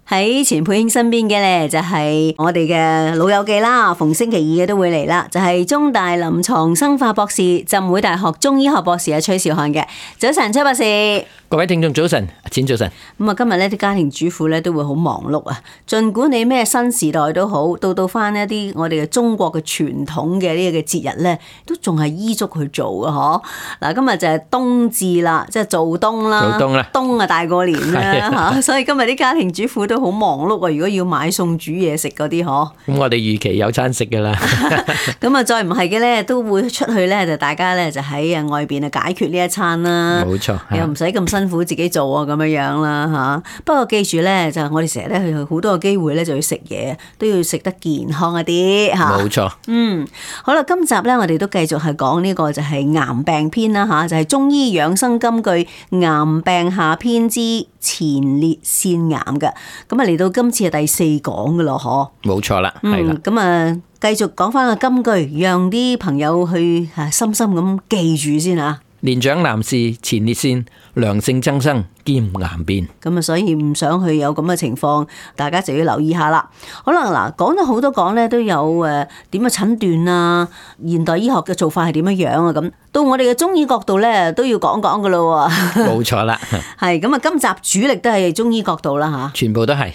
喺錢佩卿身邊嘅咧就係我哋嘅老友記啦，逢星期二嘅都會嚟啦，就係中大臨床生化博士、浸會大學中醫學博士崔兆漢嘅。早晨，崔博士。各位聽眾早晨，錢早晨。咁啊，今日咧啲家庭主婦咧都會好忙碌啊。盡管你咩新時代都好，到翻一啲我哋嘅中國嘅傳統嘅呢個嘅節日咧，都仲係依足去做嘅嗬。嗱，今日就係冬至啦，即係做冬啦。做冬啦，冬啊大過年啦吓，所以今日啲家庭主婦都好忙碌啊。如果要買餸煮嘢食嗰啲嗬，咁我哋預期有餐食噶啦。咁啊，再唔係嘅咧，都會出去咧，就大家咧就喺外邊啊解決呢一餐啦。冇錯，又唔使咁辛苦自己做啊，咁樣樣啦吓。不過記住咧，就我哋成日咧去好多個機會咧，就要食嘢，都要食得健康一啲吓。冇錯。好啦，今集咧我哋都繼續係講呢個就係癌病篇啦吓，就係中醫養生金句癌病下篇之前列腺癌嘅。咁啊嚟到今次係第4講噶咯，嗬。冇錯啦，係啦。咁啊，繼續講翻個金句，讓啲朋友去深深咁記住先啊。年長男士前列腺良性增生兼癌變，咁啊，所以唔想去有咁嘅情況，大家就要留意下啦。可能嗱，講咗好多講咧，都有點樣診斷啊，現代醫學嘅做法係點樣樣啊，咁到我哋嘅中醫角度咧，都要講講噶咯。冇錯啦，係咁啊，今集主力都係中醫角度啦吓，全部都係。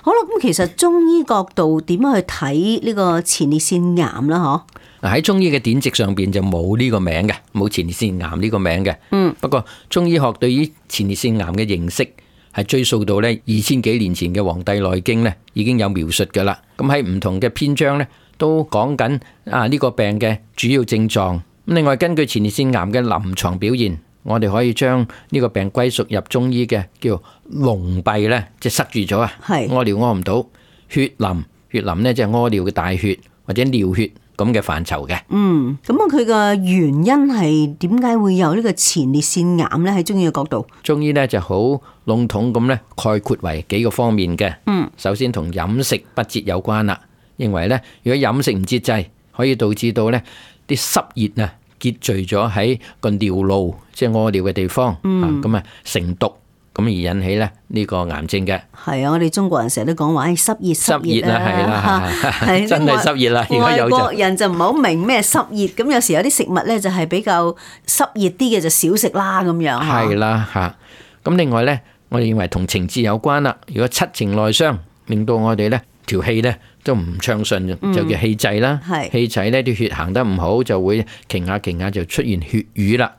好啦，咁其實中醫角度點樣去睇呢個前列腺癌啦？嗬？喺中醫嘅典籍上邊就冇呢個名嘅，冇前列腺癌呢個名嘅。不過中醫學對於前列腺癌嘅認識係追溯到咧2000幾年前嘅《黃帝內經》咧已經有描述噶啦。咁喺唔同嘅篇章咧都講緊呢個病嘅主要症狀。咁另外根據前列腺癌嘅臨床表現，我哋可以將呢個病歸屬入中醫嘅叫籠閉咧，即係塞住咗啊，屙尿屙唔到，血淋咧即係屙尿嘅大血或者尿血咁嘅範疇嘅。咁啊，佢嘅原因係點解會有呢個前列腺癌咧？喺中醫嘅角度，中醫咧就好籠統咁咧概括為幾個方面嘅。首先同飲食不節有關啦，認為咧如果飲食唔節制，可以導致到咧啲濕熱啊結聚咗喺個尿路，即係屙尿嘅地方，咁啊成毒。咁而引起咧呢個癌症嘅。係啊，我哋中國人成日都講話，濕熱啦，係啦，真係濕熱啦。外國人就唔係好明咩濕熱，咁有時有啲食物咧就係比較濕熱啲嘅就少食啦咁樣。係啦嚇。咁另外咧，我哋認為同情志有關啦。如果七情內傷，令到我哋咧條氣咧都唔暢順，就叫氣滯啦。氣滯咧啲血行得唔好，就會停下就出現血瘀啦。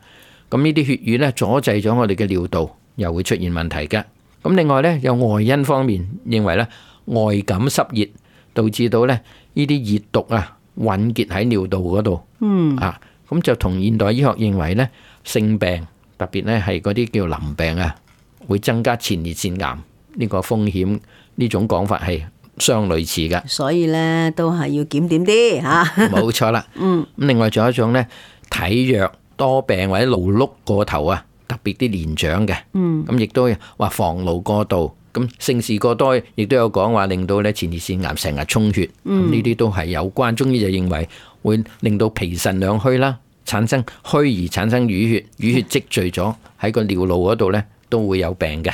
咁呢啲血瘀咧阻滯咗我哋嘅尿道，又會出現問題嘅。咁另外咧，有外因方面認為咧，外感濕熱導致到咧呢啲熱毒啊混結喺尿道嗰度。咁就同現代醫學認為咧，性病特別咧係嗰啲叫淋病啊，會增加前列腺癌呢個風險，呢種講法係相類似嘅。所以咧都係要檢點啲嚇。冇錯啦。咁另外仲有一種咧，體弱多病或者勞碌過頭啊。特別啲年長嘅，咁亦都話防勞過度，咁性事過多，亦都有講話令到咧前列腺癌成日充血，呢啲都係有關。中醫就認為會令到脾腎兩虛啦，產生虛而產生淤血，淤血積聚咗喺個尿路嗰度咧，都會有病嘅。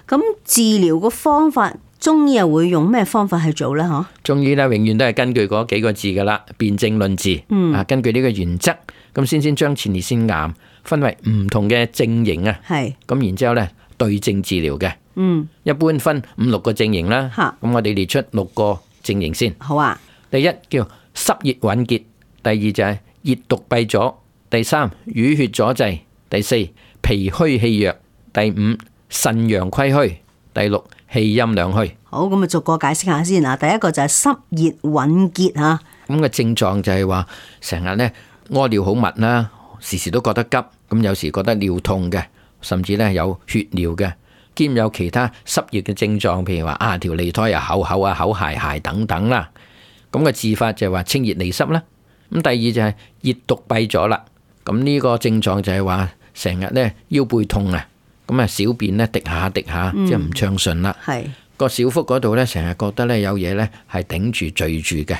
咁治療個方法，中醫又會用咩方法去做咧？嗬？中醫咧永遠都係根據嗰幾個字噶啦，辨證論治。根據呢個原則，咁先將前列腺癌分為唔同嘅症型啊，咁然之後咧對症治療嘅，一般分5、6個症型啦。咁我哋列出6個症型先。好啊。第一叫濕熱鬱結，第二就係熱毒閉阻，第三淤血阻滯，第四脾虛氣弱，第五腎陽虧虛，第六氣陰兩虛。好，咁啊逐個解釋下先啊。第一個就係濕熱鬱結吓，咁嘅症狀就係話成日咧屙尿好密啦。時時都覺得急，咁有時覺得尿痛嘅，甚至咧有血尿嘅，兼有其他濕熱嘅症狀，譬如話條脷苔又厚厚啊，口澩澩等等啦。咁嘅治法就係話清熱利濕啦。咁第二就係熱毒閉阻啦。咁呢個症狀就係話成日咧腰背痛啊，咁啊小便咧滴下，即係唔暢順啦。個小腹嗰度咧成日覺得咧有嘢咧係頂住聚住嘅。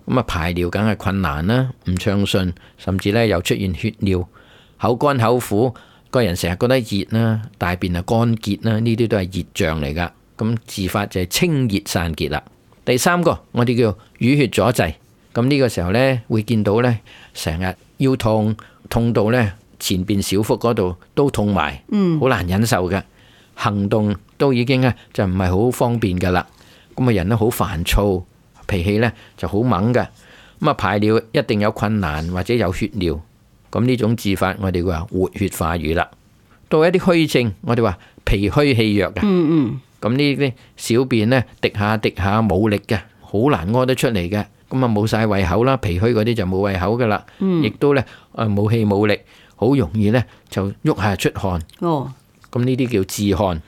咁啊排尿梗係困難啦，唔暢順，甚至咧又出現血尿，口乾口苦，個人成日覺得熱啦，大便啊乾結啦，呢啲都係熱象嚟噶。咁治法就係清熱散結啦。第三個我哋叫淤血阻滯，咁呢個時候呢，會見到呢，成日腰痛，痛到呢前邊小腹嗰度都痛埋，好難忍受嘅，行動都已經就唔係好方便噶啦。咁啊人都好煩躁，脾氣呢就好猛嘅，咁啊排尿一定有困難或者有血尿，咁呢種治法我哋話活血化瘀啦。到一啲虛症，我哋話脾虛氣弱嘅，咁呢啲小便呢滴下冇力嘅，好難屙得出嚟嘅，咁啊冇晒胃口啦，脾虛嗰啲就冇胃口噶啦，亦都呢冇氣冇力，好容易呢就喐下出汗。咁呢啲叫治汗。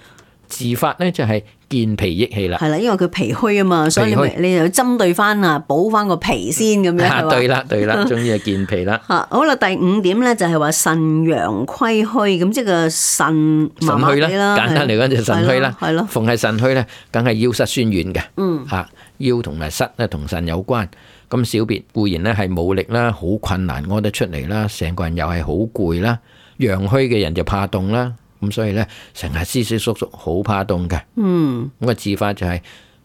治法呢就係健脾益氣啦。係啦，因為佢脾虛啊嘛，所以你就針對翻補翻個脾先咁樣。對啦，終於係健脾啦。好啦，第5點呢就係話腎陽虧虛，咁即係個腎麻麻地啦。簡單嚟講就腎虛啦。係咯，逢係腎虛呢，梗係腰膝酸軟嘅。腰同埋膝咧同腎有關。咁小便固然呢係冇力啦，好困難屙得出嚟啦，成個人又係好攰啦。陽虛嘅人就怕凍啦。咁所以咧，成日思思縮縮，好怕凍嘅。咁個治法就係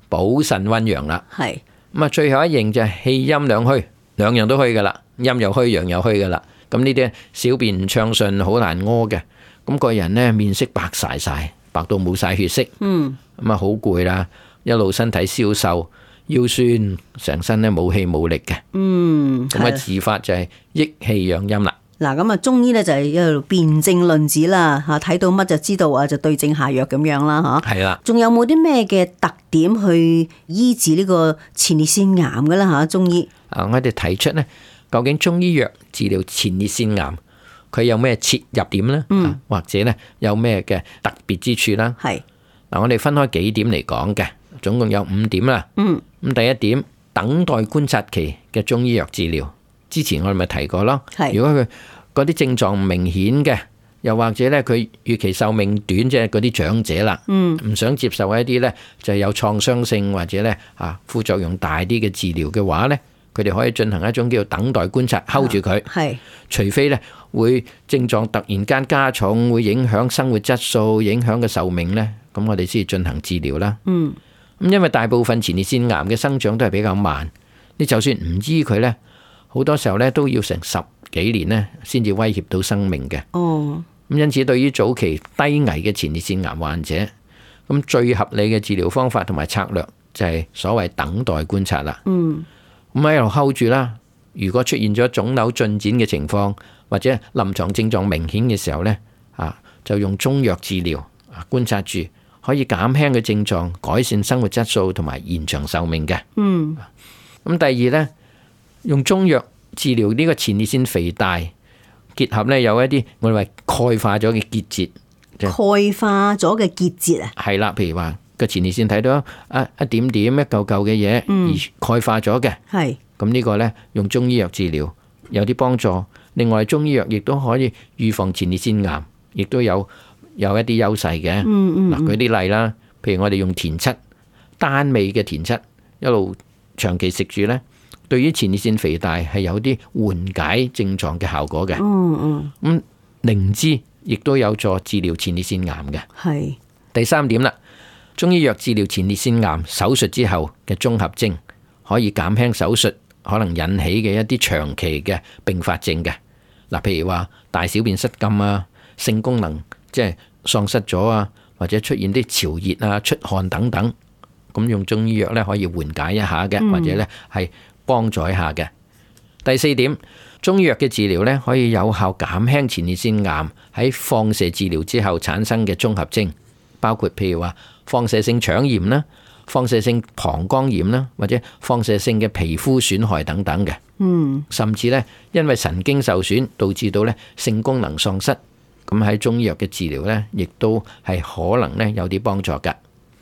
補腎溫陽啦。係咁啊，最後一型就係氣陰兩虛，兩樣都虛噶啦，陰又虛，陽又虛噶啦。咁呢啲小便唔暢順，好難屙嘅。咁個人呢，面色白晒，白到冇晒血色。咁啊，好攰啦，一路身體消瘦，腰酸，成身咧冇氣冇力嘅。咁啊，治法就係益氣養陰啦。嗱，咁啊，中醫咧就係一路辨證論治啦，嚇睇到乜就知道啊，就對症下藥咁樣啦，嚇。係啦。仲有冇啲咩嘅特點去醫治呢個前列腺癌嘅啦？嚇，中醫。我哋提出呢，究竟中醫藥治療前列腺癌，佢有咩切入點呢？或者呢有咩嘅特別之處啦？係。嗱，我哋分開幾點嚟講嘅，總共有5點啦。咁第一點，等待觀察期嘅中醫藥治療。之前我哋咪提過咯，如果佢嗰啲症狀唔明顯嘅，又或者咧佢預期壽命短，即係嗰啲長者啦，唔想接受一啲咧就係有創傷性或者咧副作用大啲嘅治療嘅話咧，佢哋可以進行一種叫做等待觀察，hold住佢。係，除非咧會症狀突然間加重，會影響生活質素，影響嘅壽命咧，咁我哋先進行治療啦。咁因為大部分前列腺癌嘅生長都係比較慢，你就算唔醫佢咧，好多時候咧都要成10幾年咧先至威脅到生命嘅。咁因此對於早期低危嘅前列腺癌患者，咁最合理嘅治療方法同埋策略就係所謂等待觀察啦。咁喺一路 hold 住啦。如果出現咗腫瘤進展嘅情況，或者臨床症狀明顯嘅時候咧，就用中藥治療，觀察住可以減輕嘅症狀，改善生活質素同埋延長壽命嘅。咁第二咧，用中藥治療呢個前列腺肥大，結合咧有一啲我哋話鈣化咗嘅結節，鈣化咗嘅結節啊，係啦，譬如話個前列腺睇到一點點一嚿嚿嘅嘢，而鈣化咗嘅，係咁呢個咧用中醫藥治療有啲幫助。另外中醫藥亦都可以預防前列腺癌，亦都有一啲優勢嘅。嗱，舉啲例啦，譬如我哋用田七，單味嘅田七，一路長期食住咧，對於前列腺肥大係有啲緩解症狀嘅效果嘅。咁靈芝亦都有助治療前列腺癌嘅。係第三點啦，中醫藥治療前列腺癌手術之後嘅綜合症，可以減輕手術可能引起嘅一啲長期嘅併發症嘅。嗱，譬如話大小便失禁啊，性功能即係喪失咗啊，或者出現啲潮熱啊、出汗等等，咁用中醫藥咧可以緩解一下嘅，或者咧係幫助一下嘅。第四點，中醫藥嘅治療咧可以有效減輕前列腺癌喺放射治療之後產生嘅綜合症，包括譬如話放射性腸炎啦、放射性膀胱炎啦，或者放射性嘅皮膚損害等等嘅。甚至咧因為神經受損導致到咧性功能喪失，咁喺中醫藥嘅治療咧，亦都係可能咧有啲幫助噶。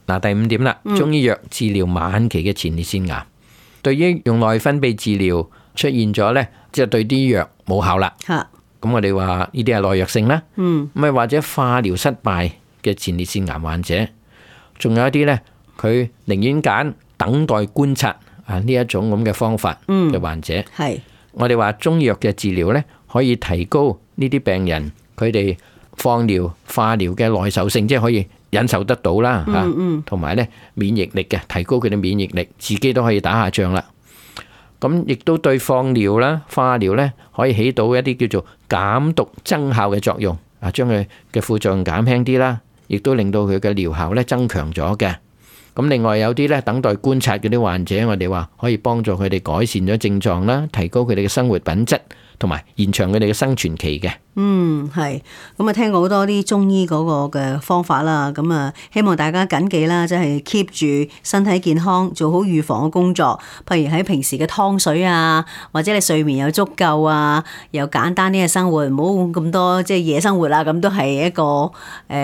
嗱，第五點啦，中醫藥治療晚期嘅前列腺癌，對於用內分泌治療出現咗咧，即係對啲藥冇效啦。咁我哋話呢啲係耐藥性啦。咁或者化療失敗嘅前列腺癌患者，仲有一啲咧，佢寧願揀等待觀察呢一種咁嘅方法嘅患者。我哋話中醫藥嘅治療咧，可以提高呢啲病人佢哋放療、化療嘅耐受性，即係可以忍受得到啦嚇，同埋咧免疫力嘅，提高佢哋免疫力，自己都可以打下仗啦。咁亦都對放療啦、化療咧，可以起到一啲叫做減毒增效嘅作用，啊，將佢嘅副作用減輕啲啦，亦都令到佢嘅療效咧增強咗嘅。咁另外有啲咧等待觀察嗰啲患者，我哋話可以幫助佢哋改善咗症狀啦，提高佢哋嘅生活品質，同埋延長佢哋嘅生存期嘅。係。咁啊，聽過好多啲中醫嗰個嘅方法啦。咁啊，希望大家謹記啦，即係 keep 住身體健康，做好預防嘅工作。譬如喺平時嘅湯水啊，或者你睡眠有足夠啊，又簡單啲嘅生活，唔好咁多即係夜生活啦。咁都係一個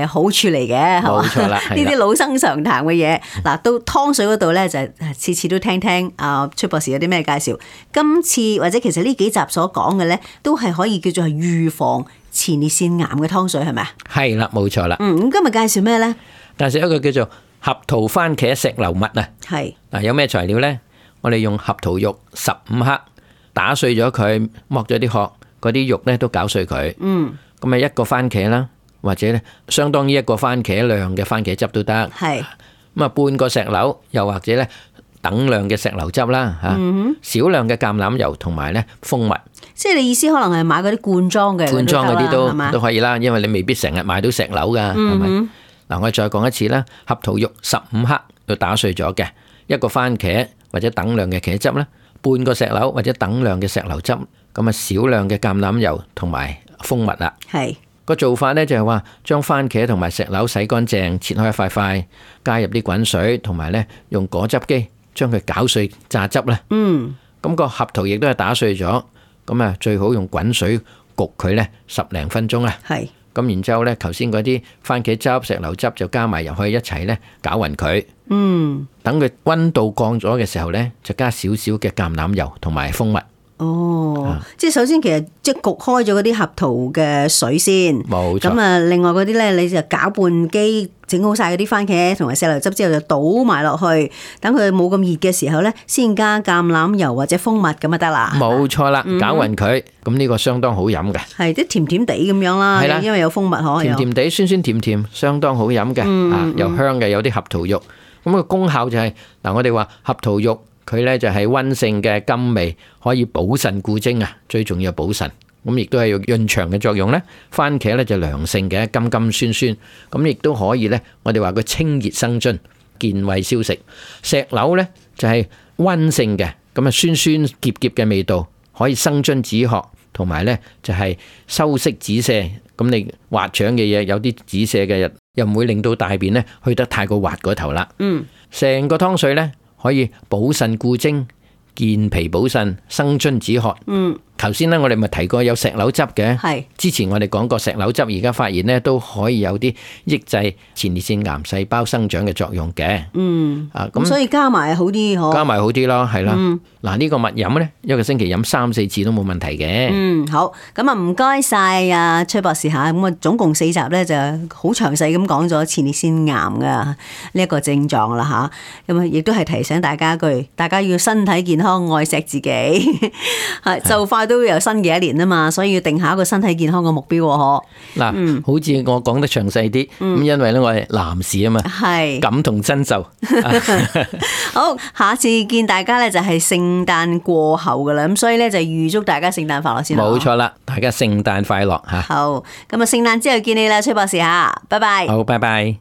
好處嚟嘅，係嘛？冇錯啦，呢啲老生常談嘅嘢。嗱，到湯水嗰度咧，就次次都聽聽崔博士有啲咩介紹。今次或者其實呢幾集所講嘅咧，都係可以叫做係預防前列腺癌嘅湯水，係咪啊？係啦，冇錯啦。咁今日介紹咩咧？介紹一個叫做合桃番茄石榴蜜啊。係。嗱，有咩材料咧？我哋用合桃肉15克，打碎咗佢，剝咗啲殼，嗰啲肉咧都攪碎佢。咁啊，一個番茄啦，或者咧相當於一個番茄量嘅番茄汁都得。係。咁啊，半個石榴，又或者咧等量嘅石榴汁啦嚇，少量嘅橄欖油同埋咧蜂蜜。即係你意思可能係買嗰啲罐裝嘅，罐裝嗰啲都可以啦，因為你未必成日買到石榴噶，係咪？嗱，我再講一次啦，合桃肉15克要打碎咗嘅，一個番茄或者等量嘅茄汁啦，半個石榴或者等量嘅石榴汁，咁啊少量嘅橄欖油同埋蜂蜜啦。係。個做法咧就係話，將番茄同埋石榴洗乾淨，切開一塊塊，加入啲滾水，同埋咧用果汁機將佢攪碎榨汁咧。咁個合桃亦都係打碎咗，咁啊最好用滾水焗佢咧10零分鐘啊。係。咁然之後咧，頭先嗰啲番茄汁、石榴汁就加埋入去一齊咧攪勻佢。等佢溫度降咗嘅時候咧，就加少少嘅橄欖油同埋蜂蜜。即係首先其實即係焗開咗嗰啲合桃嘅水先，冇錯。咁啊，另外嗰啲咧，你就攪拌機整好晒嗰啲番茄同埋石榴汁之後，就倒埋落去，等佢冇咁熱嘅時候咧，先加橄欖油或者蜂蜜咁就得啦。冇錯啦，攪勻佢，咁呢個相當好飲嘅。係啲甜甜地咁樣啦，因為有蜂蜜可以。甜甜地、酸酸甜甜，相當好飲嘅。又香嘅，有啲合桃肉。咁個功效就係嗱，我哋話合桃肉。佢咧就係溫性嘅甘味，可以補腎固精啊，最重要補腎。咁亦都係有潤腸嘅作用咧。番茄咧就涼性嘅，甘甘酸酸，咁亦都可以咧。我哋話佢清熱生津、健胃消食。石榴咧就係溫性嘅，咁啊酸酸澀澀嘅味道，可以生津止渴，同埋咧就係收縮止瀉。咁你滑腸嘅嘢有啲止瀉嘅，又唔會令到大便咧去得太過滑嗰頭啦。成個湯水咧。可以補腎固精、健脾補腎、生津止渴。頭先咧我哋咪提過有石榴汁嘅。係。之前我哋講過石榴汁，而家發現咧都可以有啲抑制前列腺癌細胞生長嘅作用嘅。咁所以加埋好啲嗬。加埋好啲咯，係啦。嗱，呢個蜜飲咧，一個星期飲3-4次都冇問題嘅。好。咁啊，唔該晒啊崔博士吓。咁啊，總共4集咧就好詳細咁講咗前列腺癌嘅呢一個症狀啦吓。咁啊，亦都係提醒大家一句，大家要身體健康，愛錫自己。就快都有新嘅一年啊嘛，所以要定下一個身體健康嘅目標喎。嗱，好似我講得詳細啲，咁因為咧我係男士啊嘛，係感同身受。好，下次見大家咧就係聖誕過後噶啦，咁所以咧就預祝大家聖誕快樂先。冇錯啦，大家聖誕快樂吓。好，咁啊聖誕之後見你啦，崔博士吓，拜拜。好，拜拜。